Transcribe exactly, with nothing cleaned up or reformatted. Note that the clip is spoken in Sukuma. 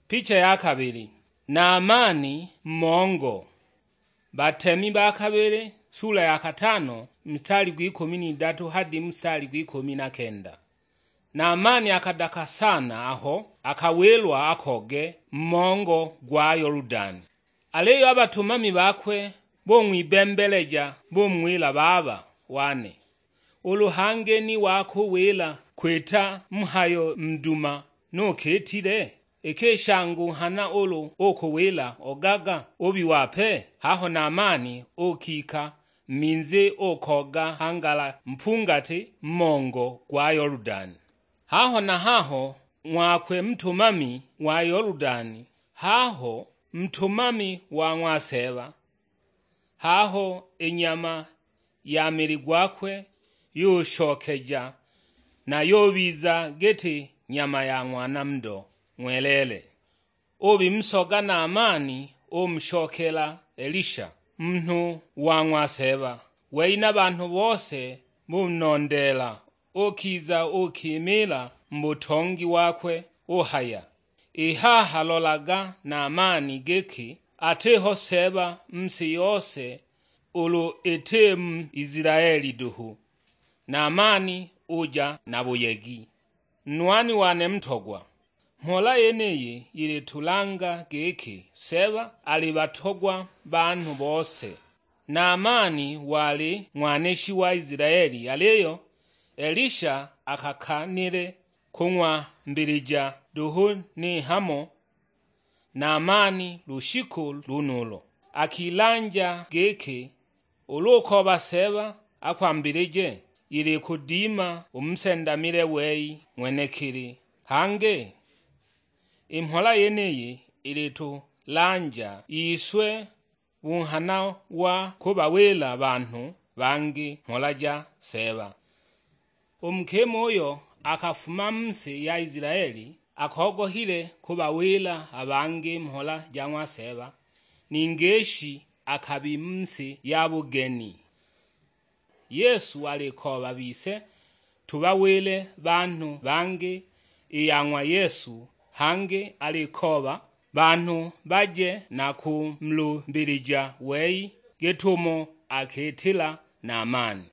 Picha ya kabili. Naamani mmongo. Batemi ba kabili, sula ya katano, mstari gw'ikumi n'idatu hadi mstari gw'ikumi na kenda. Naamani akadaka sana aho akawilwa akoge mmongo gwa Yoludani. Aliyo a batumami bakwe bung'wibembeleja, bumuwila, "Baba wane, ulu hangi ni wakuwila kwita mhayo nduma, nukiitile? Iki shangu nghana ulu ukuwila, 'Ogaga, ubiwape.'" Haho Naamani ukika minzi ukoga hangala mpungati mmongo gwa Yoludani. Haho na haho ng'wakwe ntumami wa Yoludani, haho ntumami wa ng'wa Seeba, haho i nyama ya mili gwakwe yushokeja, na yubiza giti nyama ya ng'wana ndo ng'weleele. Ubimusoga Naamani umushokela Elisha, munhu wa ng'wa Seeba, wei na banhu bose bunondeela. Ukiza ukimiila mu butongi wakwe, uhaya, "I haha lolaga Naamani giki atiho Seeba mu si yose, ulu iti mu Isilaeli duhu." Naamani uja na buyegi. Nwani wane mutogwa, mhola yeniyi ilitulanga giki Seeba ali batogwa banhu bose. Naamani wali ng'waneshi wa Isilaeli, aliyo Elisha akakanile kung'wambilija duhu ni hamo Naamani lushiku lunulo. Akilanja giki ulu ukooba Seeba akwambilije, ili kudima umusendamile wei ng'wenekili. Hangi i mhola yeniyi ilitulanja iswe bunghana wa kubawila banhu bangi mhola ja Seeba. U mukima uyo akafuma mu si ya Isilaeli akogohile kubawila a bangi mhola ja ng'wa Seeba, ni ngishi akabi mu si ya bugeni. Yesu alikooba bise tubawile banhu bangi i ya ng'wa Yesu, hangi alikooba banhu baje na kumulumbilija wei gitumo akitila Naamani.